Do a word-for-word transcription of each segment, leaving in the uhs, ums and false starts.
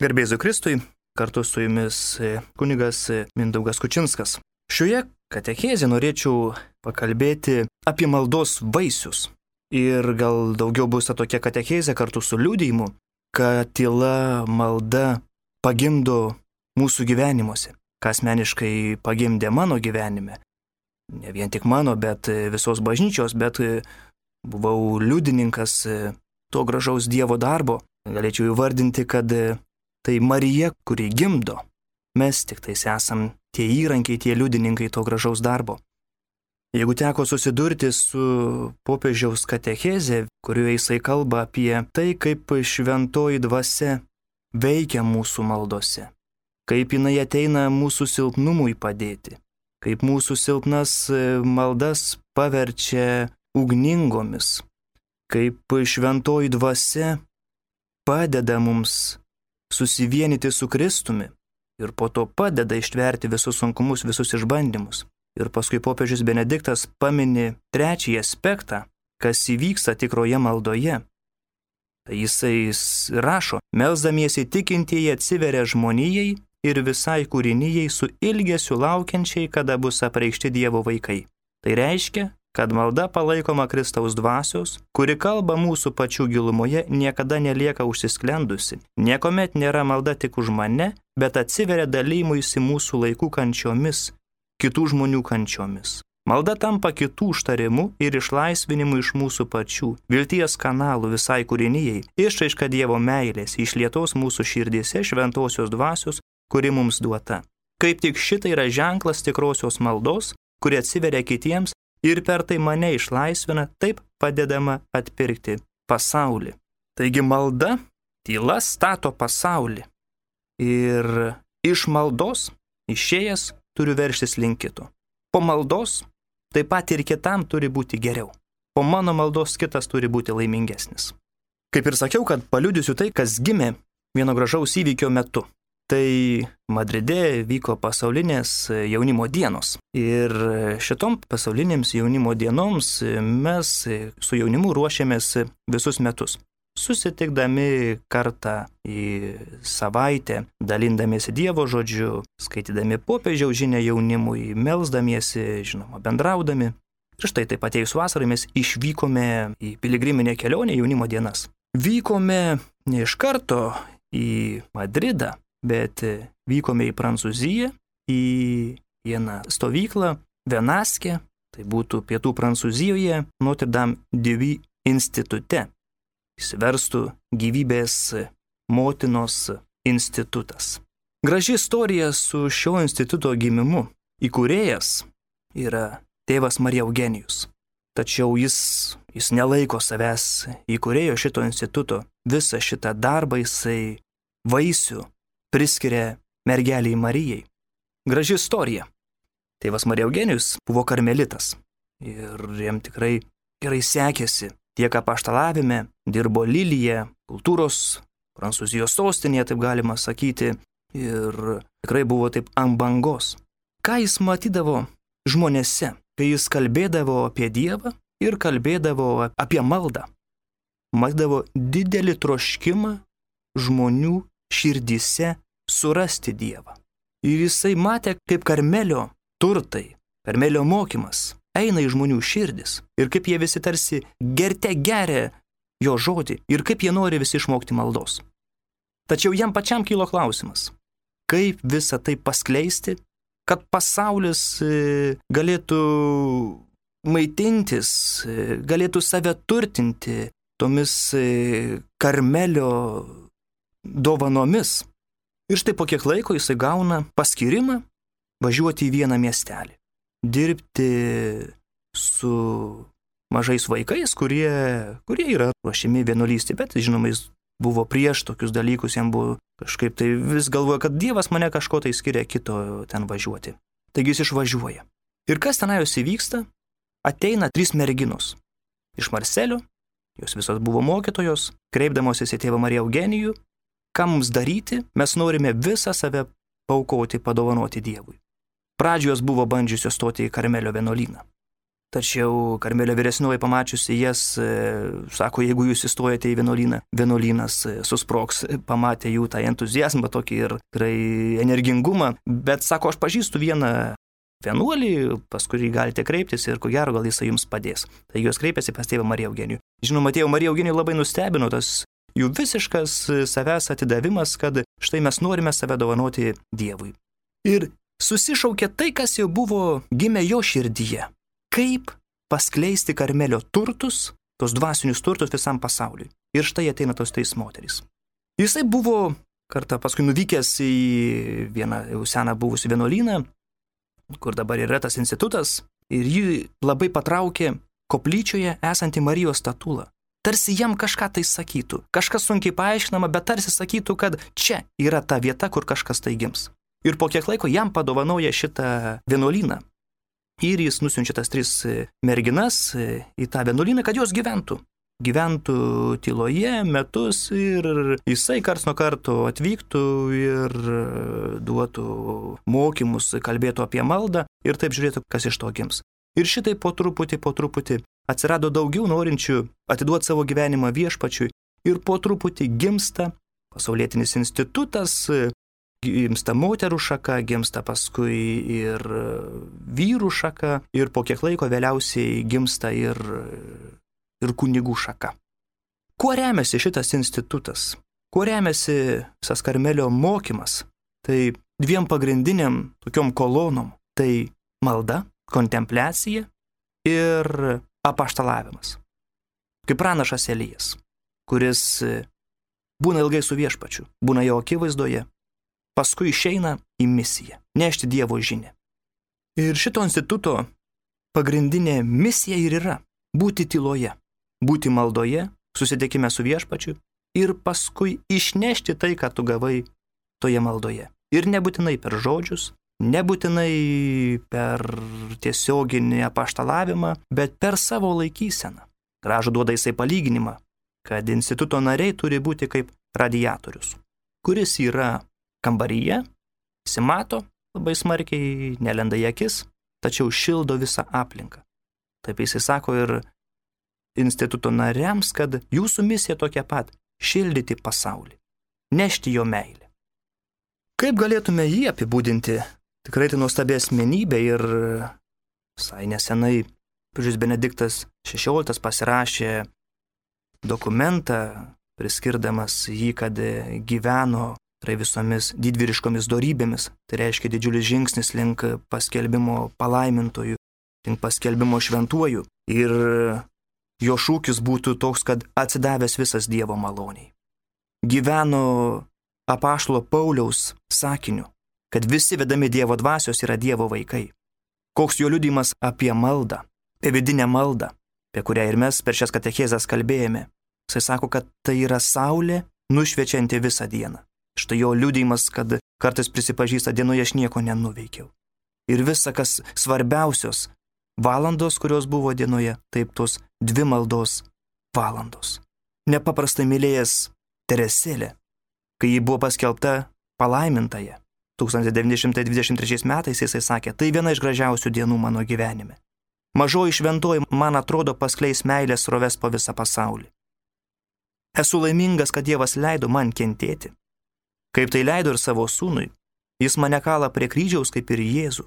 Garbėzu Kristui, kartu su jumis kunigas Mindaugas Kučinskas. Šioje katechezėje norėčiau pakalbėti apie maldos vaisius. Ir gal daugiau bus ta tokia katechezė kartu su liudijimu, kad tyla malda pagimdo mūsų gyvenimuose, kas asmeniškai pagimdė mano gyvenime. Ne vien tik mano, bet visos bažnyčios, bet buvau liudininkas to gražaus Dievo darbo. Galėčiau įvardinti, kad tai Marija, kuri gimdo. Mes tik tais esam tie įrankiai, tie liudininkai to gražaus darbo. Jeigu teko susidurti su popiežiaus katechezė, kurioje jisai kalba apie tai, kaip šventoji dvasia veikia mūsų maldose, kaip jinai ateina mūsų silpnumui padėti, kaip mūsų silpnas maldas paverčia ugningomis, kaip šventoji dvasia padeda mums susivienyti su Kristumi ir po to padeda ištverti visus sunkumus, visus išbandymus. Ir paskui popiežius Benediktas pamini trečiąjį aspektą, kas įvyksta tikroje maldoje. Tai jisai rašo, melsdamiesi tikintieji atsiveria žmonijai ir visai kūrinijai su ilgesiu laukiančiai, kada bus apreikšti Dievo vaikai. Tai reiškia, kad malda palaikoma Kristaus dvasios, kuri kalba mūsų pačių gilumoje, niekada nelieka užsisklendusi. Niekuomet nėra malda tik už mane, bet atsiveria dalymuisi mūsų laikų kančiomis, kitų žmonių kančiomis. Malda tampa kitų užtarimu ir išlaisvinimu iš mūsų pačių, vilties kanalų visai kūrinijai, išraiška Dievo meilės, išlietos mūsų širdyse šventosios dvasios, kuri mums duota. Kaip tik šitai yra ženklas tikrosios maldos, kuri atsiveria kitiems, ir per tai mane išlaisvina, taip padedama atpirkti pasaulį. Taigi malda, tyla stato pasaulį. Ir iš maldos išėjęs turiu verštis link kito. Po maldos taip pat ir kitam turi būti geriau. Po mano maldos kitas turi būti laimingesnis. Kaip ir sakiau, kad paliudysiu tai, kas gimė vieno gražaus įvykio metu. Tai Madride vyko pasaulinės jaunimo dienos. Ir šitom pasaulinėms jaunimo dienoms mes su jaunimu ruošiamės visus metus. Susitikdami kartą į savaitę, dalindamiesi Dievo žodžiu, skaitydami popiežiaus žinią jaunimui, melsdamiesi, žinoma, bendraudami. Ir štai taip atėjus vasarai mes išvykome į piligriminę kelionę jaunimo dienas. Vykome ne iš karto į Madridą, bet vykome į Prancūziją, į vieną stovyklą, Venaskę, tai būtų pietų Prancūzijoje, Notre Dame de Vie institute. Įsiverstų gyvybės motinos institutas. Graži istorija su šio instituto gimimu. Įkūrėjas yra tėvas Marija Eugenijus. Tačiau jis, jis nelaiko savęs įkūrėjo šito instituto. Visą šitą darbą jisai vaisių priskiria mergeliai Marijai. Graži istorija. Tėvas Marija Eugenijus buvo karmelitas ir jam tikrai gerai sekėsi. Tiek apaštalavime, dirbo Lilyje, kultūros, Prancūzijos sostinėje, taip galima sakyti, ir tikrai buvo taip ant bangos. Ką jis matydavo žmonėse, kai jis kalbėdavo apie Dievą ir kalbėdavo apie maldą? Matydavo didelį troškimą žmonių širdyse surasti Dievą. Ir jisai matė, kaip Karmelio turtai, Karmelio mokymas eina į žmonių širdis ir kaip jie visi tarsi gerte geria jo žodį ir kaip jie nori visi išmokti maldos. Tačiau jam pačiam kilo klausimas, kaip visą tai paskleisti, kad pasaulis galėtų maitintis, galėtų save turtinti tomis Karmelio dovanomis. Ir štai po kiek laiko jisai gauna paskyrimą važiuoti į vieną miestelį. Dirbti su mažais vaikais, kurie, kurie yra ruošiami vienuolystei, bet žinoma, jis buvo prieš tokius dalykus, jam buvo kažkaip tai vis galvoja, kad Dievas mane kažko tai skiria kito ten važiuoti. Taigi jis išvažiuoja. Ir kas tenai jos įvyksta? Ateina trys merginos iš Marselio, jos visos buvo mokytojos, kreipdamosis į tėvą Mariją Eugenijų. Ką mums daryti? Mes norime visą save paaukoti, padovanoti Dievui. Pradžios buvo bandžiusios stoti į Karmelio vienuolyną. Tačiau Karmelio vyresnioji pamačiusi jas, sako, jeigu jūs įstojate į vienuolyną, vienuolynas susprogs, pamatė jų tą entuzijazmą tokį ir tikrai energingumą, bet sako, aš pažįstu vieną vienuolį, pas kurį galite kreiptis ir ko gero gal jisai jums padės. Tai jos kreipėsi pas tėvą Mariją Eugenijų. Žinoma, tėvą Mariją Eugenijų labai nustebino tas jų visiškas savęs atidavimas, kad štai mes norime save dovanoti Dievui. Ir susišaukė tai, kas jau buvo gimę jo širdyje. Kaip paskleisti Karmelio turtus, tos dvasinius turtus visam pasauliui. Ir štai ateina tos trys moterys. Jisai buvo kartą paskui nuvykęs į vieną jau seną buvusią vienuolyną, kur dabar yra tas institutas, ir jį labai patraukė koplyčioje esanti Marijos statula. Tarsi jam kažką tai sakytų, kažkas sunkiai paaiškinama, bet tarsi sakytų, kad čia yra ta vieta, kur kažkas tai gims. Ir po kiek laiko jam padovanoja šitą vienuolyną. Ir jis nusiunčia tas tris merginas į tą vienuolyną, kad jos gyventų. Gyventų tyloje metus ir jisai karts nuo karto atvyktų ir duotų mokymus, kalbėtų apie maldą ir taip žiūrėtų, kas iš to gims. Ir šitai po truputį, po truputį atsirado daugiau norinčių atiduoti savo gyvenimą viešpačiui ir po truputį gimsta pasaulietinis institutas, gimsta moterų šaka, gimsta paskui ir vyrų šaka ir po kiek laiko vėliausiai gimsta ir, ir kunigų šaka. Kuo remiasi šitas institutas? Kuo remiasi visas Karmelio mokymas? Tai dviem pagrindiniam tokiom kolonom. Tai malda, kontempliacija ir apaštalavimas. Kaip pranašas Elijas, kuris būna ilgai su viešpačiu, būna jo akivaizdoje, paskui išeina į misiją, nešti Dievo žinią. Ir šito instituto pagrindinė misija ir yra būti tyloje, būti maldoje, susitikime su viešpačiu ir paskui išnešti tai, ką tu gavai toje maldoje. Ir nebūtinai per žodžius, nebūtinai per tiesioginį apaštalavimą, bet per savo laikyseną. Gražų duoda jisai palyginimą, kad instituto nariai turi būti kaip radiatorius, kuris yra kambaryje, simato labai smarkiai, nelenda į akis, tačiau šildo visą aplinką. Taip jisai sako ir instituto nariams, kad jūsų misija tokia pat – šildyti pasaulį, nešti jo meilę. Kaip galėtume jį apibūdinti? Tikrai tai nuostabi asmenybė ir visai nesenai popiežius Benediktas šešioliktas pasirašė dokumentą, priskirdamas jį, kad gyveno tai visomis didvyriškomis dorybėmis, tai reiškia didžiulis žingsnis link paskelbimo palaimintojų, link paskelbimo šventuojų. Ir jo šūkis būtų toks, kad atsidavęs visas Dievo maloniai. Gyveno apaštalo Pauliaus sakiniu, kad visi vedami Dievo dvasios yra Dievo vaikai. Koks jo liudijimas apie maldą, apie vidinę maldą, apie kurią ir mes per šias katechezes kalbėjome. Jisai sako, kad tai yra saulė nušviečianti visą dieną. Štai jo liudijimas, kad kartais prisipažįsta, dienoje aš nieko nenuveikiau. Ir visa, kas svarbiausios valandos, kurios buvo dienoje, taip tos dvi maldos valandos. Nepaprastai mylėjęs Teresėlę, kai ji buvo paskelbta palaimintaja. tūkstantis devyni šimtai dvidešimt trečiais metais jisai sakė, tai viena iš gražiausių dienų mano gyvenime. Mažoji šventoji, man atrodo, paskleis meilės sroves po visą pasaulį. Esu laimingas, kad Dievas leido man kentėti. Kaip tai leido ir savo sūnui, jis mane kala prie kryžiaus kaip ir Jėzų.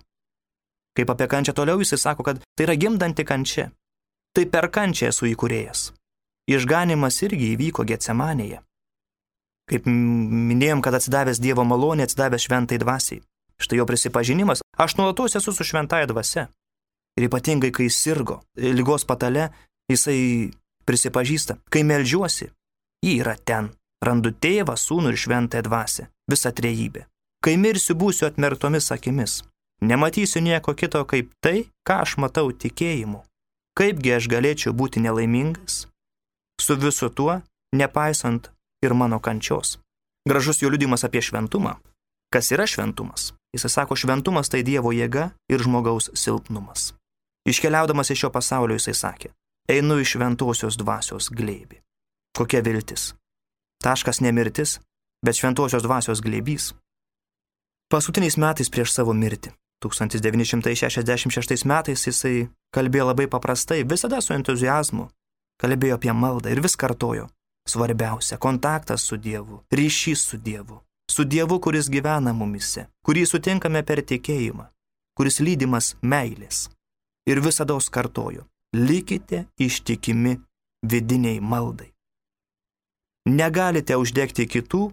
Kaip apie kančią toliau jis sako, kad tai yra gimdanti kančia. Tai per kančią esu įkūrėjas. Išganimas irgi įvyko Getsemanėje. Kaip minėjom, kad atsidavęs Dievo malonė, atsidavęs šventai dvasiai. Štai jo prisipažinimas, aš nuolatos esu su šventąja dvasia. Ir ypatingai, kai sirgo ligos patale, jisai prisipažįsta, kai meldžiuosi, ji yra ten. Randu tėvą, sūnų ir šventąją dvasią, visą trejybę. Kai mirsiu, būsiu atmerktomis akimis. Nematysiu nieko kito kaip tai, ką aš matau tikėjimu. Kaipgi aš galėčiau būti nelaimingas? Su visu tuo, nepaisant ir mano kančios. Gražus jo liudijimas apie šventumą. Kas yra šventumas? Jis sako, šventumas tai Dievo jėga ir žmogaus silpnumas. Iškeliaudamas iš šio pasaulio jisai sakė, einu iš šventosios dvasios glėbį. Kokia viltis? Taškas ne mirtis, bet šventosios dvasios glėbys. Paskutiniais metais prieš savo mirtį, tūkstantis devyni šimtai šešiasdešimt šeštais metais jisai kalbėjo labai paprastai, visada su entuziazmu. Kalbėjo apie maldą ir vis kartojo. Svarbiausia - kontaktas su Dievu, ryšys su Dievu. Su Dievu, kuris gyvena mumise, kurį sutinkame per tikėjimą, kuris lydimas meilės. Ir visada kartojo, likite ištikimi vidiniai maldai. Negalite uždegti kitų,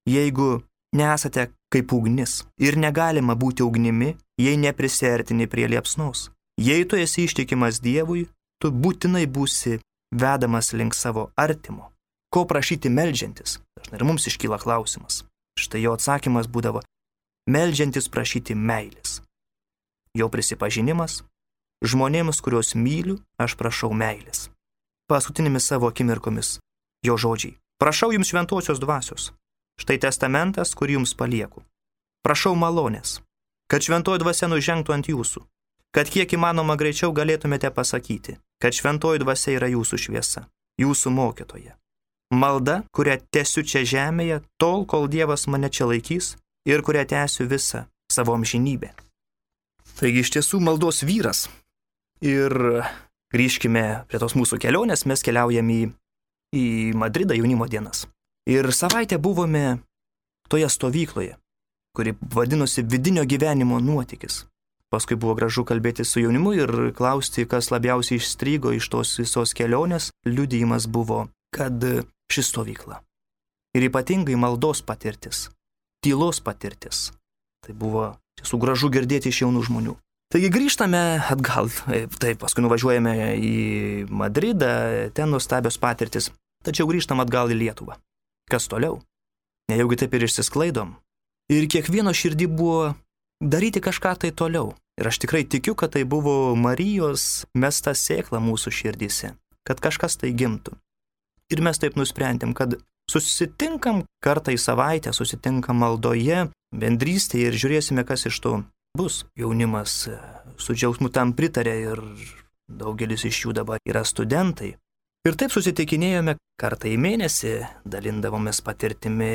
jeigu nesate kaip ugnis. Ir negalima būti ugnimi, jei neprisertini prie liepsnos. Jei tu esi ištikimas Dievui, tu būtinai būsi vedamas link savo artimo. Ko prašyti meldžiantis? Dažnai ir mums iškyla klausimas. Štai jo atsakymas būdavo meldžiantis prašyti meilės. Jo prisipažinimas žmonėms, kuriuos myliu, aš prašau meilės. Paskutinėmis savo akimirkomis jo žodžiai. Prašau jums šventosios dvasios. Štai testamentas, kurį jums palieku. Prašau malonės, kad šventoji dvasia nužengtų ant jūsų, kad kiek įmanoma greičiau galėtumėte pasakyti, kad šventoji dvasia yra jūsų šviesa, jūsų mokytoja. Malda, kurią tęsiu čia žemėje, tol, kol Dievas mane čia laikys ir kurią tęsiu visą savo amžinybę. Taigi iš tiesų maldos vyras. Ir grįžkime prie tos mūsų kelionės, mes keliaujam į, į Madridą jaunimo dienas. Ir savaitę buvome toje stovykloje, kuri vadinosi vidinio gyvenimo nuotykis. Paskui buvo gražu kalbėti su jaunimu ir klausti, kas labiausiai išstrygo iš tos visos kelionės. Liudijimas buvo, kad ši stovykla. Ir ypatingai maldos patirtis, tylos patirtis. Tai buvo tiesų gražu girdėti iš jaunų žmonių. Taigi grįžtame atgal, taip, paskui nuvažiuojame į Madridą, ten nuostabios patirtis, tačiau grįžtam atgal į Lietuvą. Kas toliau? Nejaugi taip ir išsisklaidom. Ir kiekvieno širdį buvo daryti kažką tai toliau. Ir aš tikrai tikiu, kad tai buvo Marijos mesta sėkla mūsų širdyse, kad kažkas tai gimtų. Ir mes taip nusprendėm, kad susitinkam kartą į savaitę, susitinkam maldoje, bendrystėje ir žiūrėsime, kas iš to bus. Jaunimas su džiaugsmu tam pritarė ir daugelis iš jų dabar yra studentai. Ir taip susitikinėjome kartą į mėnesį, dalindavomės patirtimi,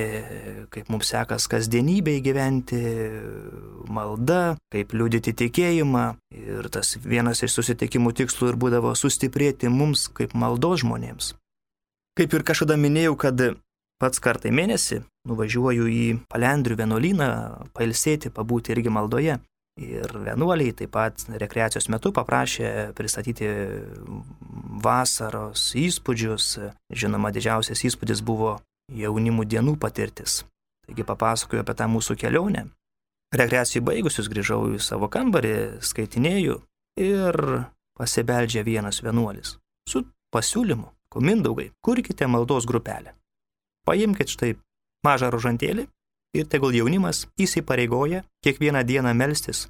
kaip mums sekas kasdienybėje gyventi, malda, kaip liudyti tikėjimą. Ir tas vienas iš susitikimų tikslų ir būdavo sustiprėti mums kaip maldos žmonėms. Kaip ir kažkada minėjau, kad pats kartą į mėnesį nuvažiuoju į Palendrių vienuolyną pailsėti, pabūti irgi maldoje. Ir vienuoliai taip pat rekreacijos metu paprašė pristatyti vasaros įspūdžius. Žinoma, didžiausias įspūdis buvo jaunimų dienų patirtis. Taigi papasakoju apie tą mūsų kelionę. Rekreacijai baigusius grįžau į savo kambarį, skaitinėjau ir pasibeldžia vienas vienuolis su pasiūlymu. Mindaugai, kurkite maldos grupelę. Paimkite štai mažą rožantėlį ir tegul jaunimas įsipareigoja kiekvieną dieną melstis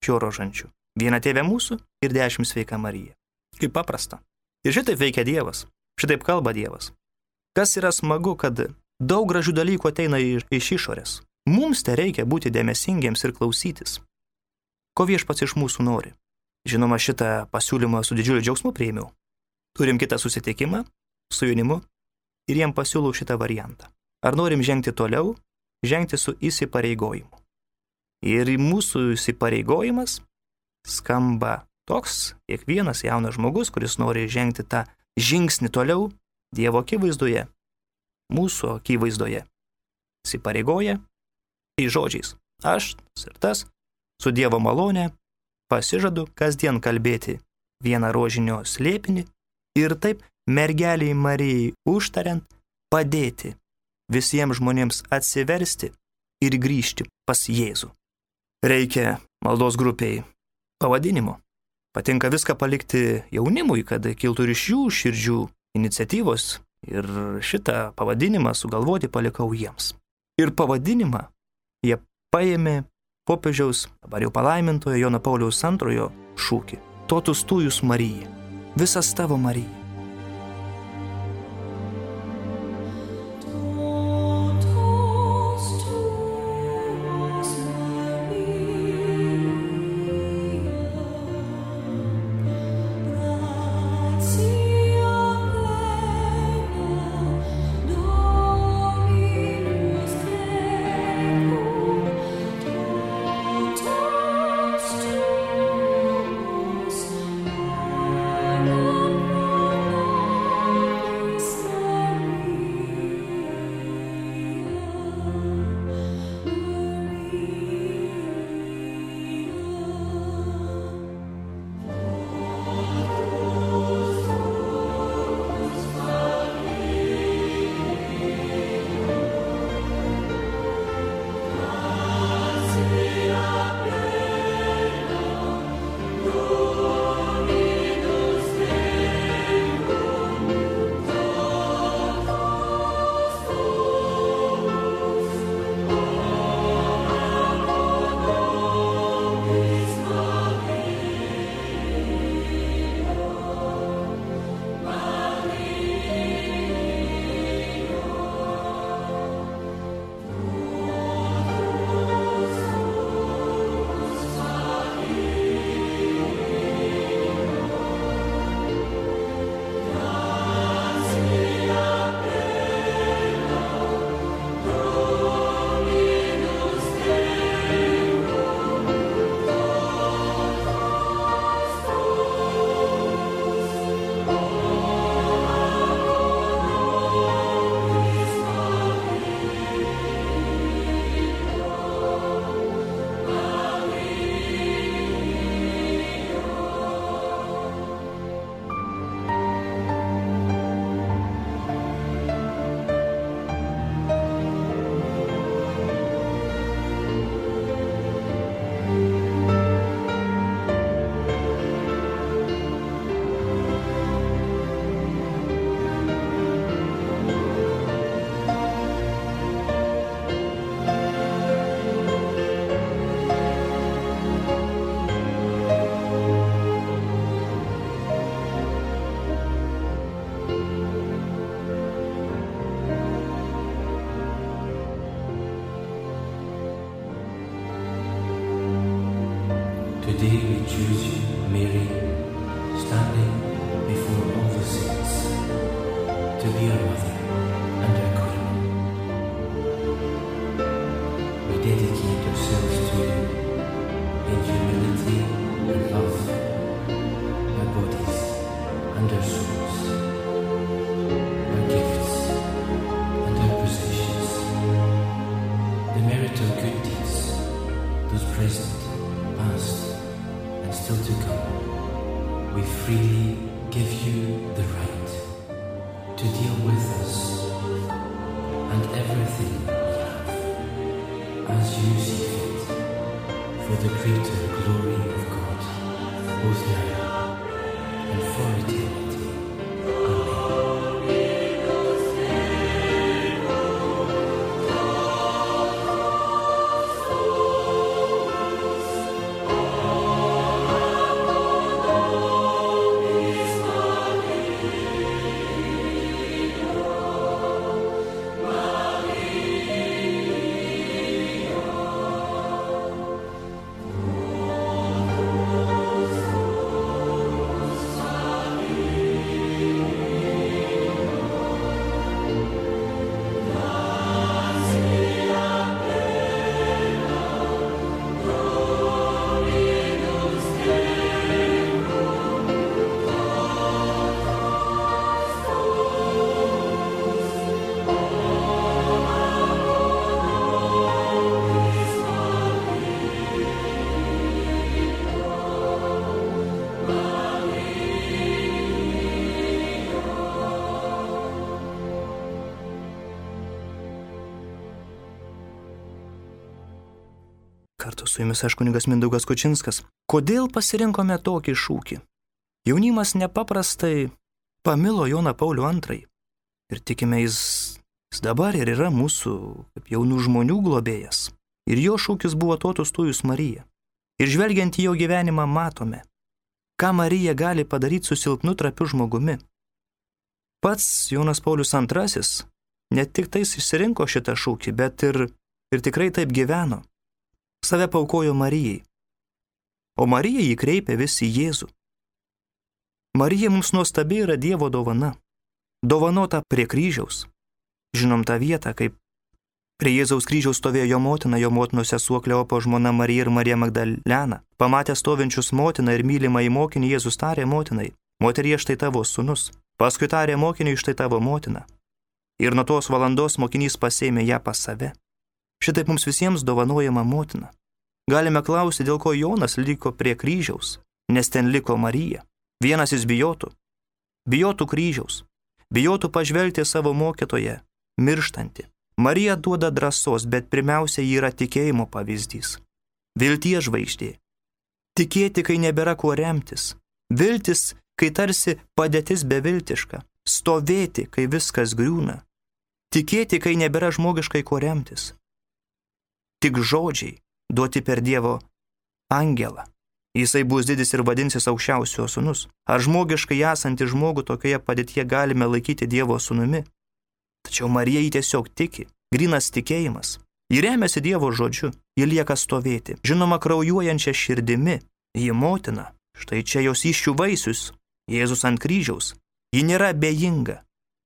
šiuo rožančiu. Vieną Tėvę mūsų ir dešimt Sveika Marija. Kaip paprasta. Ir šitaip veikia Dievas. Šitaip kalba Dievas. Kas yra smagu, kad daug gražių dalykų ateina iš, iš išorės. Mums te reikia būti dėmesingiems ir klausytis. Ko Viešpats iš mūsų nori? Žinoma, šitą pasiūlymą su didžiuliu džiaugsmu priėmiau. Turim kitą susitikimą su jaunimu ir jiem pasiūlau šitą variantą. Ar norim žengti toliau, žengti su įsipareigojimu. Ir mūsų įsipareigojimas skamba toks, kiekvienas jaunas žmogus, kuris nori žengti tą žingsnį toliau Dievo akivaizdoje, mūsų akivaizdoje, įsipareigoja į žodžiais. Aš ir tas su Dievo malone pasižadu kasdien kalbėti vieną rožinio slėpinį ir taip mergeliai Marijai užtariant padėti visiems žmonėms atsiversti ir grįžti pas Jėzų. Reikia maldos grupiai pavadinimo. Patinka viską palikti jaunimui, kad kiltų ir iš jų širdžių iniciatyvos ir šitą pavadinimą sugalvoti palikau jiems. Ir pavadinimą jie paėmė popiežiaus, dabar jau palaimintojo Jono Pauliaus antrojo šūkį. Totus tujus Marija. Visas tavo Marija. Today we choose you, Mary, standing before all the saints, to be our mother and our queen. We dedicate ourselves to you in humility and love, our bodies and our souls, our gifts and our possessions, the merit of good deeds, those present, past, and still to come. We freely give you the right to deal with us and everything we have as you see fit, for the greater glory of God, both now and for eternity. Kartu su jumis aš kunigas Mindaugas Kučinskas. Kodėl pasirinkome tokį šūkį? Jaunimas nepaprastai pamilo Joną Paulių antrąjį. Ir tikime, jis, jis dabar ir yra mūsų kaip jaunų žmonių globėjas. Ir jo šūkis buvo totus tujus Marija. Ir žvelgiant į jo gyvenimą matome, ką Marija gali padaryti su silpnu trapiu žmogumi. Pats Jonas Paulius antrasis ne tik tais išsirinko šitą šūkį, bet ir, ir tikrai taip gyveno. Save paukojo Marijai, o Marija jį kreipė vis į Jėzų. Marija mums nuostabi yra Dievo dovana, dovanota prie kryžiaus. Žinom tą vietą, kaip prie Jėzaus kryžiaus stovėjo jo motina, jo motinos sesuo Kleopo žmona Marija ir Marija Magdalena. Pamatę stovinčius motiną ir mylimą į mokinį, Jėzus tarė motinai, moterie, štai tavo sūnus. Paskui tarė mokiniui, štai tavo motina. Ir nuo tos valandos mokinys pasėmė ją pas save. Šitaip mums visiems dovanojama motina. Galime klausti, dėl ko Jonas liko prie kryžiaus, nes ten liko Marija. Vienas jis bijotų. Bijotų kryžiaus. Bijotų pažvelgti savo mokytoją, mirštantį. Marija duoda drąsos, bet pirmiausia, ji yra tikėjimo pavyzdys. Vilties žvaigždė. Tikėti, kai nebėra kuo remtis. Viltis, kai tarsi padėtis beviltiška. Stovėti, kai viskas griūna. Tikėti, kai nebėra žmogiškai kuo remtis. Tik žodžiai duoti per Dievo angelą. Jisai bus didis ir vadinsis aukščiausiojo sūnus. Ar žmogiškai esantį žmogų tokioje padėtyje galime laikyti Dievo sūnumi? Tačiau Marija jį tiesiog tiki, grynas tikėjimas. Ji remiasi Dievo žodžiu, ji lieka stovėti, žinoma kraujuojančia širdimi. Ji motina, štai čia jos įsčių vaisius, Jėzus ant kryžiaus. Ji nėra abejinga,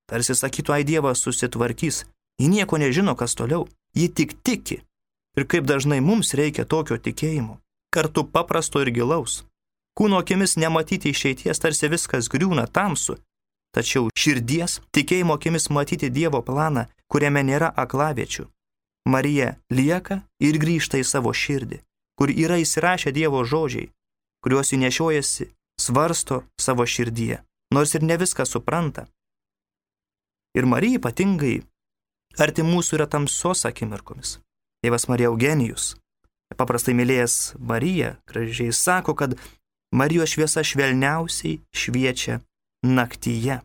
tarsi sakytų, ai Dievas susitvarkys. Ji nieko nežino, kas toliau, ji tik tiki. Ir kaip dažnai mums reikia tokio tikėjimo, kartu paprasto ir gilaus. Kūno akimis nematyti išeities, tarsi viskas griūna tamsu, tačiau širdies, tikėjimo akimis matyti Dievo planą, kuriame nėra aklaviečių. Marija lieka ir grįžta į savo širdį, kur yra įsirašę Dievo žodžiai, kuriuos ji nešiojasi, svarsto savo širdyje, nors ir ne viską supranta. Ir Marija ypatingai arti mūsų yra tamsos akimirkomis. Tėvas Marija Eugenijus, paprastai mylėjęs Mariją, gražiai sako, kad Marijos šviesa švelniausiai šviečia naktyje.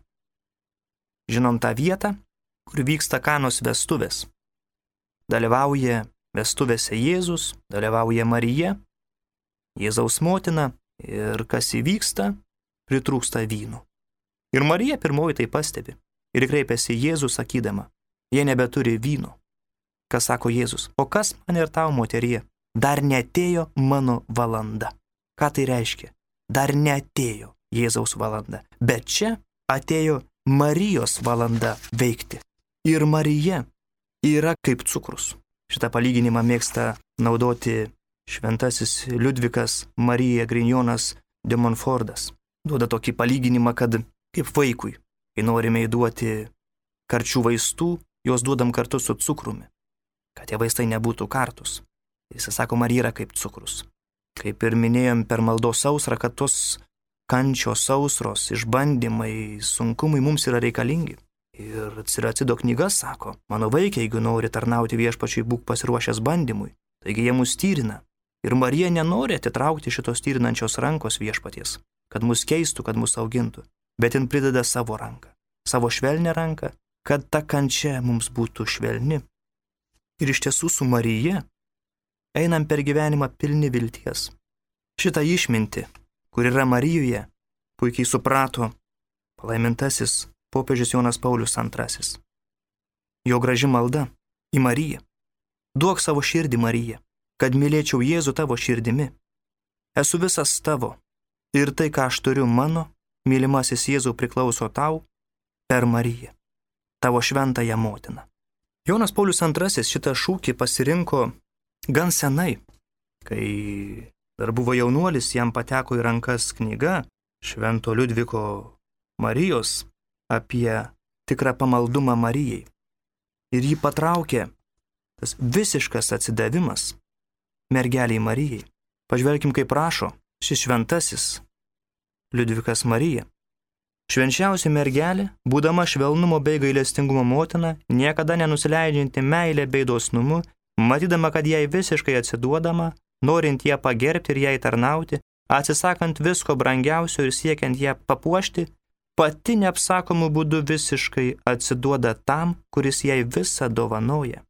Žinom tą vietą, kur vyksta Kanos vestuvės. Dalyvauja vestuvėse Jėzus, dalyvauja Marija, Jėzaus motina ir kas įvyksta, pritrūksta vyno. Ir Marija pirmoji tai pastebi ir kreipiasi Jėzų sakydama, jie nebeturi vyno. Kas sako Jėzus, o kas man ir tau, moterie, dar neatėjo mano valanda. Ką tai reiškia? Dar neatėjo Jėzaus valanda, bet čia atėjo Marijos valanda veikti. Ir Marija yra kaip cukrus. Šitą palyginimą mėgsta naudoti šventasis Liudvikas Marija Grignonas de Montfortas. Duoda tokį palyginimą, kad kaip vaikui, kai norime įduoti karčių vaistų, juos duodam kartu su cukrumi, kad tie vaistai nebūtų kartus. Jis sako, Marija yra kaip cukrus. Kaip ir minėjom per maldos sausrą, kad tos kančios sausros, išbandymai, sunkumai mums yra reikalingi. Ir Ciracido knyga sako, mano vaikai, jeigu nori tarnauti viešpačiui, būk pasiruošęs bandymui. Taigi jie mus tyrina. Ir Marija nenori atitraukti šitos tyrinančios rankos viešpaties, kad mus keistų, kad mus augintų. Bet jin prideda savo ranką, savo švelnę ranką, kad ta kančia mums būtų švelni. Ir iš tiesų su Marija einam per gyvenimą pilni vilties. Šitą išmintį, kur yra Marijoje, puikiai suprato palaimintasis popiežius Jonas Paulius antrasis. Jo graži malda į Mariją. Duok savo širdį, Marija, kad mylėčiau Jėzų tavo širdimi. Esu visas tavo ir tai, ką aš turiu mano, mylimasis Jėzau, priklauso tau per Mariją, tavo šventąją motiną. Jonas Paulius antrasis šitą šūkį pasirinko gan senai, kai dar buvo jaunuolis, jam pateko į rankas knyga Švento Liudviko Marijos apie tikrą pamaldumą Marijai. Ir jį patraukė tas visiškas atsidavimas mergeliai Marijai. Pažvelkim, kaip rašo šis šventasis Liudvikas Marija. Švenčiausia mergelė, būdama švelnumo bei gailestingumo motina, niekada nenusileidžianti meilė bei dosnumu, matydama, kad jai visiškai atsiduodama, norint ją pagerbti ir jai tarnauti, atsisakant visko brangiausio ir siekiant ją papuošti, pati neapsakomų būdų visiškai atsiduoda tam, kuris jai visą dovanoja.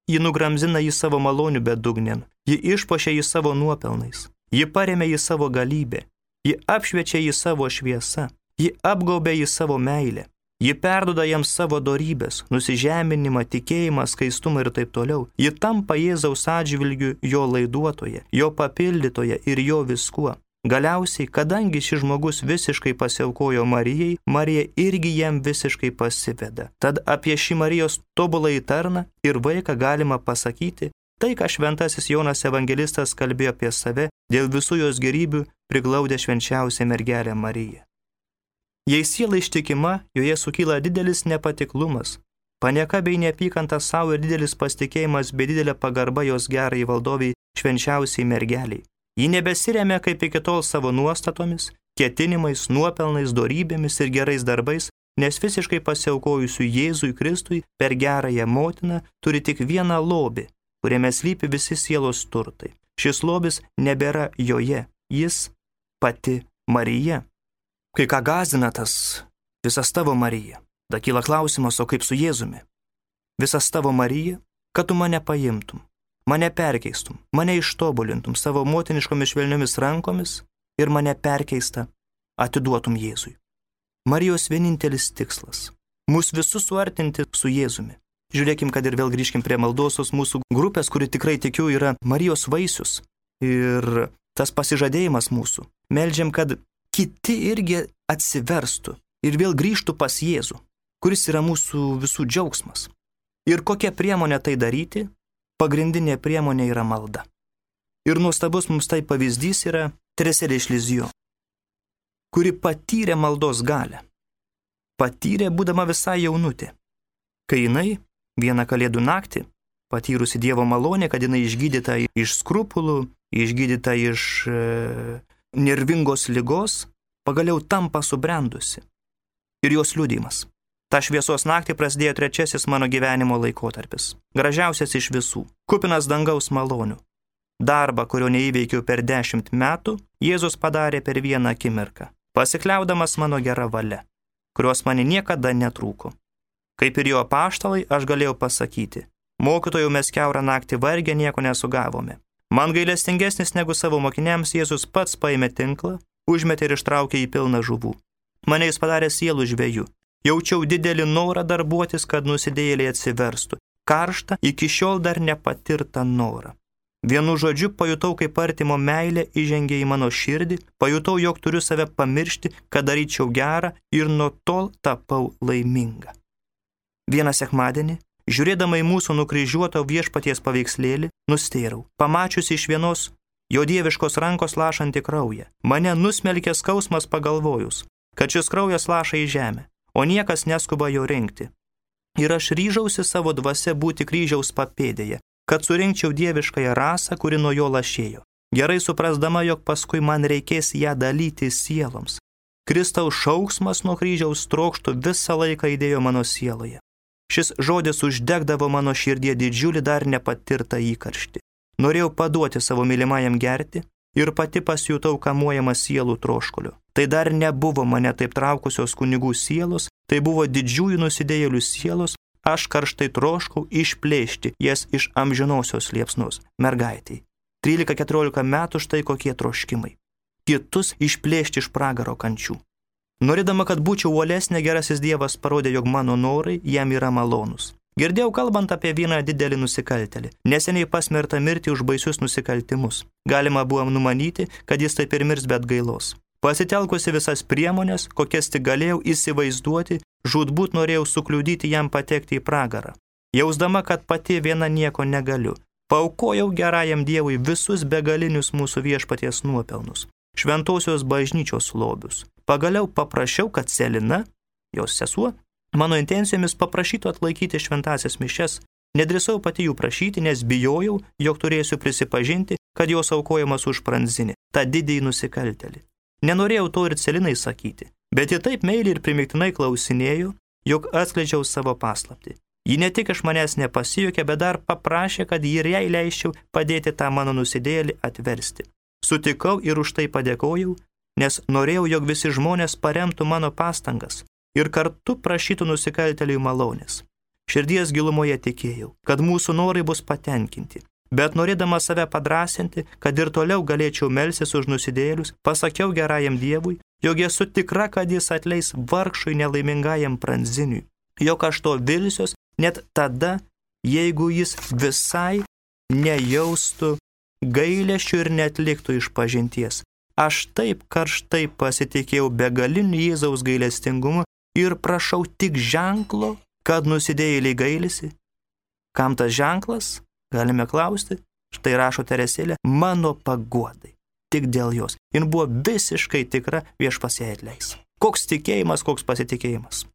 Ji nugramzina į savo malonių bedugnėn, ji išpuošia į savo nuopelnais, ji paremia į savo galybę, ji apšviečia į savo šviesą, ji apgaubia į savo meilę, ji perduoda jiems savo dorybės, nusižeminimą, tikėjimą, skaistumą ir taip toliau. Ji tampa Jėzaus atžvilgiu jo laiduotoje, jo papildytoje ir jo viskuo. Galiausiai, kadangi šis žmogus visiškai pasiaukojo Marijai, Marija irgi jam visiškai pasiveda. Tad apie šį Marijos tobuląjį tarną ir vaiką galima pasakyti, tai, ką šventasis Jonas evangelistas kalbėjo apie save, dėl visų jos gerybių priglaudė švenčiausią mergelę Mariją. Jei siela ištikima, joje sukyla didelis nepatiklumas, panieka bei neapykanta savo ir didelis pasitikėjimas bei didelė pagarba jos gerai valdoviai švenčiausiai mergeliai. Ji nebesiremia kaip iki tol savo nuostatomis, ketinimais, nuopelnais, dorybėmis ir gerais darbais, nes visiškai pasiaukojusių Jėzui Kristui per gerąją motiną turi tik vieną lobį, kuriame slypi visi sielos turtai. Šis lobis nebėra joje, jis pati Marija. Kai ką gąsdina tas visas tavo Marija, da kyla klausimas, o kaip su Jėzumi? Visas tavo Marija, kad tu mane paimtum, mane perkeistum, mane ištobulintum savo motiniškomis švelniomis rankomis ir mane perkeista atiduotum Jėzui. Marijos vienintelis tikslas – mus visus suartinti su Jėzumi. Žiūrėkim, kad ir vėl grįžkim prie maldosios mūsų grupės, kuri tikrai tikiu yra Marijos vaisius ir tas pasižadėjimas mūsų. Meldžiam, kad kiti irgi atsiverstų ir vėl grįžtų pas Jėzų, kuris yra mūsų visų džiaugsmas. Ir kokia priemonė tai daryti? Pagrindinė priemonė yra malda. Ir nuostabus mums tai pavyzdys yra Teresėlė iš Lizijo, kuri patyrė maldos galią. Patyrė būdama visai jaunutė. Kai jinai vieną kalėdų naktį, patyrusi Dievo malonę, kad jinai išgydyta iš skrupulų, išgydyta iš e, nervingos ligos, pagaliau tampa subrendusi. Ir jos liudijimas. Ta šviesos naktį prasidėjo trečiasis mano gyvenimo laikotarpis. Gražiausias iš visų. Kupinas dangaus malonių. Darbą, kurio neįveikiau per dešimt metų, Jėzus padarė per vieną akimirką, pasikliaudamas mano gerą valią, kurios man niekada netrūko. Kaip ir jo apaštalai, aš galėjau pasakyti, mokytojau, mes kiaurą naktį vargę nieko nesugavome. Man gailestingesnis negu savo mokiniams Jėzus pats paėmė tinklą, užmetė ir ištraukė į pilną žuvų. Mane jis padarė sielų žvejų. Jaučiau didelį norą darbuotis, kad nusidėjėliai atsiverstų. Karštą, iki šiol dar nepatirtą norą. Vienu žodžiu pajutau, kaip artimo meilė įžengė į mano širdį, pajutau, jog turiu save pamiršti, kad daryčiau gerą ir nuo tol tapau laiminga. Vieną sekmadienį, žiūrėdama į mūsų nukryžiuoto viešpaties paveikslėlį, nustėrau, pamačiusi iš vienos jo dieviškos rankos lašantį kraują. Mane nusmelkė skausmas pagalvojus, kad šis kraujas laša į žemę, o niekas neskuba jo rinkti. Ir aš ryžausi savo dvasia būti kryžiaus papėdėje, kad surinkčiau dieviškąją rasą, kuri nuo jo lašėjo, gerai suprasdama, jog paskui man reikės ją dalyti sieloms. Kristaus šauksmas nuo kryžiaus trokštų visą laiką įdėjo mano sieloje. Šis žodis uždegdavo mano širdie didžiulį dar nepatirtą įkarštį. Norėjau paduoti savo mylimajam gerti ir pati pasijutau kamuojama sielų troškuliu. Tai dar nebuvo mane taip traukusios kunigų sielos, tai buvo didžiųjų nusidėjėlių sielos, aš karštai troškau išplėšti jas iš amžinosios liepsnos. Mergaitei. trylika keturiolika metų štai kokie troškimai. Kitus išplėšti iš pragaro kančių. Norėdama, kad būčiau uolesnė, gerasis Dievas parodė, jog mano norai jam yra malonus. Girdėjau kalbant apie vieną didelį nusikaltelį, neseniai pasmertą mirti už baisius nusikaltimus. Galima buvo numanyti, kad jis taip ir mirs be atgailos. Pasitelkusi visas priemonės, kokias tik galėjau įsivaizduoti, žūtbūt norėjau sukliudyti jam patekti į pragarą. Jausdama, kad pati viena nieko negaliu, paaukojau gerajam Dievui visus begalinius mūsų viešpaties nuopelnus, šventosios bažnyčios lobius. Pagaliau paprašiau, kad Selina, jos sesuo, mano intencijomis paprašytų atlaikyti šventasias mišias. Nedrįsau pati jų prašyti, nes bijojau, jog turėsiu prisipažinti, kad jos aukojamas už Pranzinį, tą didįjį nusikaltelį. Nenorėjau to ir Celinai sakyti, bet ji taip meiliai ir primiktinai klausinėjo, jog atskleidžiau savo paslaptį. Ji ne tik iš manęs nepasijuokė, bet dar paprašė, kad ji ir jai leisčiau padėti tą mano nusidėjėlį atversti. Sutikau ir už tai padėkojau, nes norėjau, jog visi žmonės paremtų mano pastangas ir kartu prašytų nusikaltėliui malonės. Širdies gilumoje tikėjau, kad mūsų norai bus patenkinti, bet norėdama save padrasinti, kad ir toliau galėčiau melstis už nusidėjėlius, pasakiau gerajam Dievui, jog esu tikra, kad jis atleis vargšui nelaimingajam Pranziniui, jog aš to vilsiuos net tada, jeigu jis visai nejaustų gailesčių ir netliktų išpažinties. Aš taip karštai pasitikėjau begaliniu Jėzaus gailestingumu ir prašau tik ženklo, kad nusidėjėliai gailisi. Kam tas ženklas? Galime klausti. Štai rašo Teresėlė, mano paguodai. Tik dėl jos. Jin buvo visiškai tikra, viešpats ją atleis. Koks tikėjimas, koks pasitikėjimas.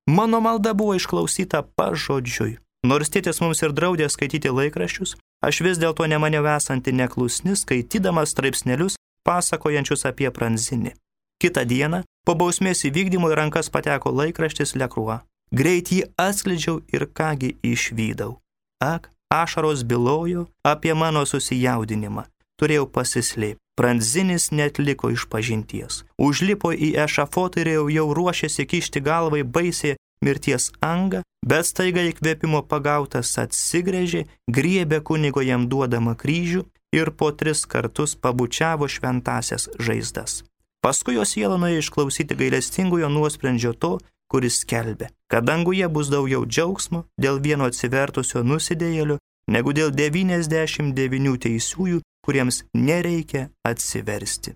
Mano malda buvo išklausyta pažodžiui. Nors tėtis mums ir draudė skaityti laikraščius, aš vis dėlto nemaniau esanti neklusni, skaitydamas straipsnelius, pasakojančius apie Pranzinį. Kitą dieną, po bausmės įvykdymo į rankas pateko laikraštis Le Croix. Greit jį atskleidžiau ir kągi išvydau. Ak, ašaros bylojo apie mano susijaudinimą. Turėjau pasislėpti. Pranzinis neatliko išpažinties. Užlipo į ešafotą ir jau ruošėsi kišti galvai baisiai mirties angą, bet staiga įkvėpimo pagautas atsigręžė, griebė kunigo jam duodamą kryžių ir po tris kartus pabučiavo šventasias žaizdas. Paskui jo siela nuėjo išklausyti gailestingojo nuosprendžio to, kuris skelbė, kad danguje bus daugiau džiaugsmo dėl vieno atsivertusio nusidėjėlio, negu dėl devyniasdešimt devynių teisiųjų, kuriems nereikia atsiversti.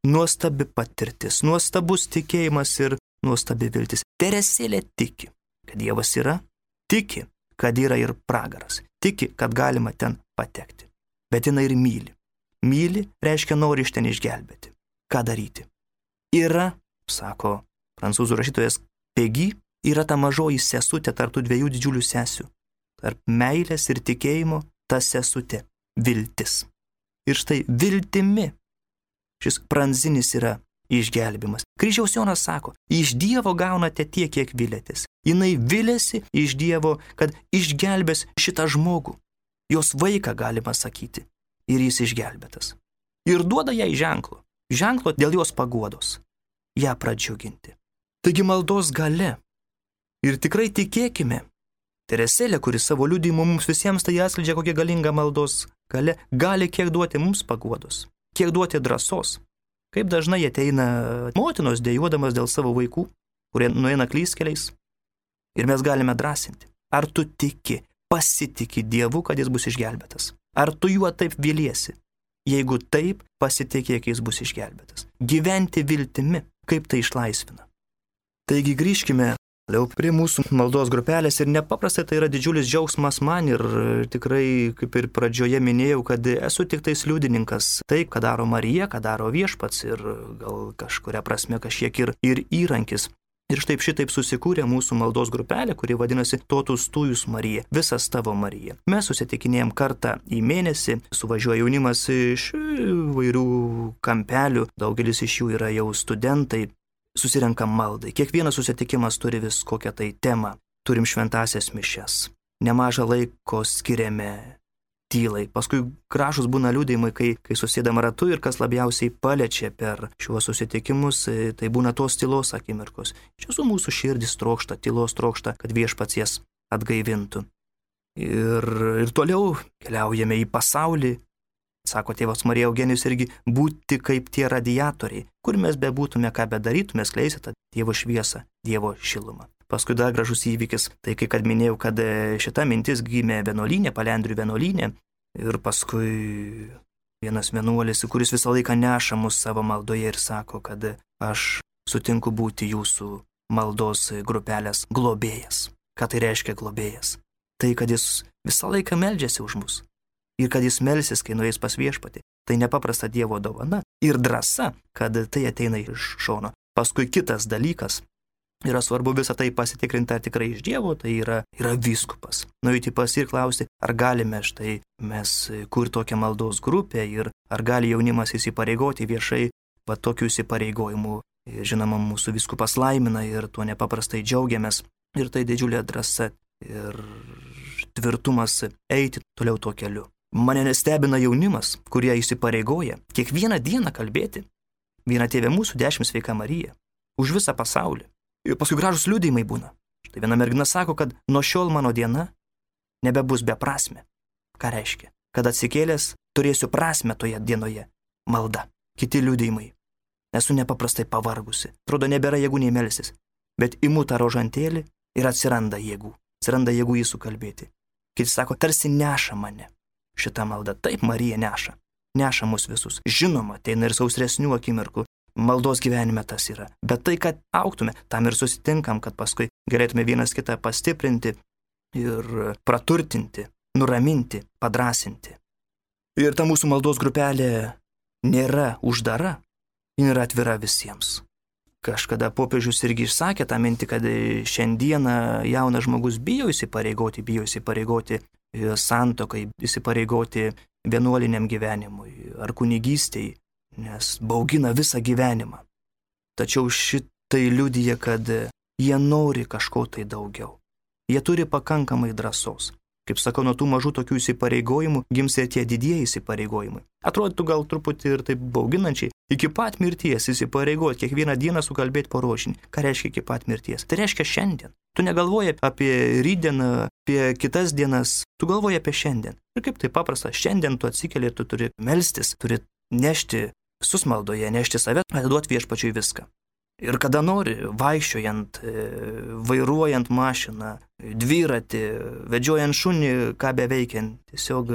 Nuostabi patirtis, nuostabus tikėjimas ir nuostabi viltis. Teresėlė tiki, kad Dievas yra, tiki, kad yra ir pragaras, tiki, kad galima ten patekti. Bet jinai ir myli. Myli reiškia nori iš ten išgelbėti. Ką daryti? Yra, sako prancūzų rašytojas Pegi, yra ta mažoji sesutė tarp tų dviejų didžiulių sesių. Tarp meilės ir tikėjimo ta sesutė – viltis. Ir štai viltimi šis Pranzinis yra išgelbimas. Kryžiaus Jonas sako, iš Dievo gaunate tiek, kiek vilėtės. Jinai vilėsi iš Dievo, kad išgelbės šitą žmogų. Jos vaiką galima sakyti. Ir jis išgelbėtas. Ir duoda jai ženklo. Ženklo dėl jos paguodos. Ją pradžiuginti. Taigi maldos gale. Ir tikrai tikėkime. Teresėlė, kuris savo liudijimu mums visiems tai atskleidžia, kokia galinga maldos gale, gali kiek duoti mums paguodos. Kiek duoti drąsos. Kaip dažnai ateina motinos dejuodamas dėl savo vaikų, kurie nueina klystkeliais. Ir mes galime drąsinti. Ar tu tiki, pasitiki Dievu, kad jis bus išgelbėtas? Ar tu juo taip viliesi? Jeigu taip, pasitikėk, jis bus išgelbėtas. Gyventi viltimi, kaip tai išlaisvina. Taigi grįžkime toliau prie mūsų maldos grupelės ir nepaprastai tai yra didžiulis džiaugsmas man ir tikrai, kaip ir pradžioje minėjau, kad esu tik tais liudininkas. Tai, ką daro Marija, ką daro Viešpats ir gal kažkuria prasme kažkiek ir, ir įrankis. Ir štai šitaip susikūrė mūsų maldos grupelė, kuri vadinasi Totus Tujus Marija, visas tavo Marija. Mes susitikinėjom kartą į mėnesį, suvažiuoja jaunimas iš vairių kampelių, daugelis iš jų yra jau studentai, susirenkam maldai. Kiekvienas susitikimas turi vis kokią tai temą, turim šventasias mišias, nemažą laiko skiriame tylai. Paskui gražus būna liudijimai, kai, kai susėdam ratu ir kas labiausiai paliečia per šiuos susitikimus, tai būna tos tylos akimirkos. Iš tiesų mūsų širdis trokšta, tylos trokšta, kad Viešpats jas atgaivintų. Ir, ir toliau keliaujame į pasaulį. Sako tėvas Marija Eugenijus irgi, būti kaip tie radiatoriai, kur mes bebūtume, ką bedarytume, skleisti tą Dievo šviesą, Dievo šilumą. Paskui dar gražus įvykis, tai kai kad minėjau, kad šita mintis gimė vienuolynė, Palendrių vienuolynė ir paskui vienas vienuolis, kuris visą laiką neša mus savo maldoje ir sako, kad aš sutinku būti jūsų maldos grupelės globėjas. Ką tai reiškia globėjas? Tai, kad jis visą laiką meldžiasi už mus ir kad jis melsis, kai nueis pas Viešpatį. Tai nepaprasta Dievo dovana ir drąsa, kad tai ateina iš šono. Paskui kitas dalykas. Yra svarbu visą tai pasitikrinti, ar tikrai iš Dievo, tai yra, yra vyskupas. Nueiti pas ir klausti, ar galime štai mes kur tokią maldos grupę ir ar gali jaunimas įsipareigoti viešai, va tokių įsipareigojimų. Žinoma, mūsų vyskupas laimina ir tuo nepaprastai džiaugiamės. Ir tai didžiulė drąsa ir tvirtumas eiti toliau tuo keliu. Mane nestebina jaunimas, kurie įsipareigoja kiekvieną dieną kalbėti. Viena Tėve mūsų, dešimt sveika Marija. Už visą pasaulį. Ir paskui gražus liudijimai būna. Štai viena mergina sako, kad nuo šiol mano diena nebebus beprasmė. Ką reiškia? Kad atsikėlęs turėsiu prasmę toje dienoje. Malda. Kiti liudijimai. Esu nepaprastai pavargusi. Atrodo, nebėra jėgų nei melsis. Bet imu tą rožantėlį ir atsiranda jėgų. Atsiranda jėgų jį sukalbėti. Kiti sako, tarsi neša mane. Šitą maldą. Taip Marija neša. Neša mus visus. Žinoma, ateina ir sausresnių akimirkų. Maldos gyvenime tas yra. Bet tai, kad augtume, tam ir susitinkam, kad paskui galėtume vienas kitą pastiprinti ir praturtinti, nuraminti, padrasinti. Ir ta mūsų maldos grupelė nėra uždara, ji yra atvira visiems. Kažkada popiežius irgi išsakė tą mintį, kad šiandieną jaunas žmogus bijo įsipareigoti, bijo įsipareigoti santuokai, įsipareigoti vienuoliniam gyvenimui ar kunigystei, nes baugina visą gyvenimą. Tačiau šitai liudija, kad jie nori kažko tai daugiau. Jie turi pakankamai drąsos. Kaip sakau, nuo tų mažų tokių įsipareigojimų gims ir tie didieji įsipareigojimai. Atrodytų gal truputį ir taip bauginančiai. Iki pat mirties įsipareigoti, kiekvieną dieną sukalbėti po rožinį. Ką reiškia iki pat mirties? Tai reiškia šiandien. Tu negalvoji apie rytdieną, apie kitas dienas, tu galvoji apie šiandien. Ir kaip tai paprasta, šiandien tu atsikeli ir tu turi melstis, turi nešti visus maldoje, nešti save, atiduoti Viešpačiui viską. Ir kada nori, vaikščiojant, vairuojant mašiną, dviratį, vedžiojant šunį, ką beveikiant, tiesiog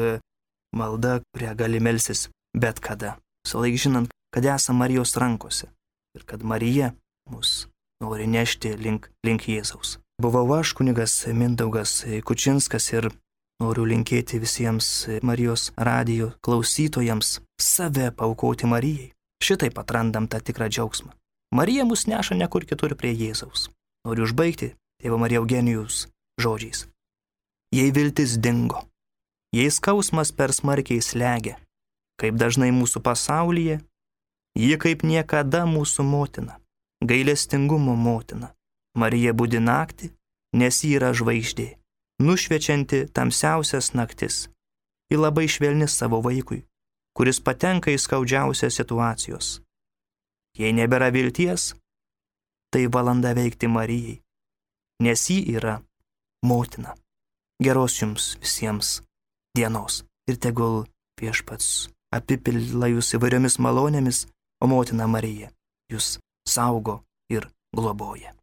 malda, kurią gali melstis bet kada. Visą laiką žinant, kad esame Marijos rankose ir kad Marija mus nori nešti link, link Jėzaus. Buvau aš, kunigas Mindaugas Kučinskas, ir noriu linkėti visiems Marijos radijo klausytojams save paaukoti Marijai. Šitaip atrandam tą tikrą džiaugsmą. Marija mus neša nekur kitur prie Jėzaus. Noriu užbaigti tėvo Marija Eugenijaus žodžiais. Jei viltis dingo, jei skausmas per smarkiai slegia, kaip dažnai mūsų pasaulyje, ji kaip niekada mūsų motina, gailestingumo motina. Marija budi naktį, nes ji yra žvaigždė, nušviečianti tamsiausias naktis. Ji labai švelni savo vaikui, kuris patenka į skaudžiausias situacijos. Jei nebėra vilties, tai valanda veikti Marijai, nes ji yra motina. Geros jums visiems dienos ir tegul Viešpats apipila jūs įvairiomis malonėmis, o motina Marija jūs saugo ir globoja.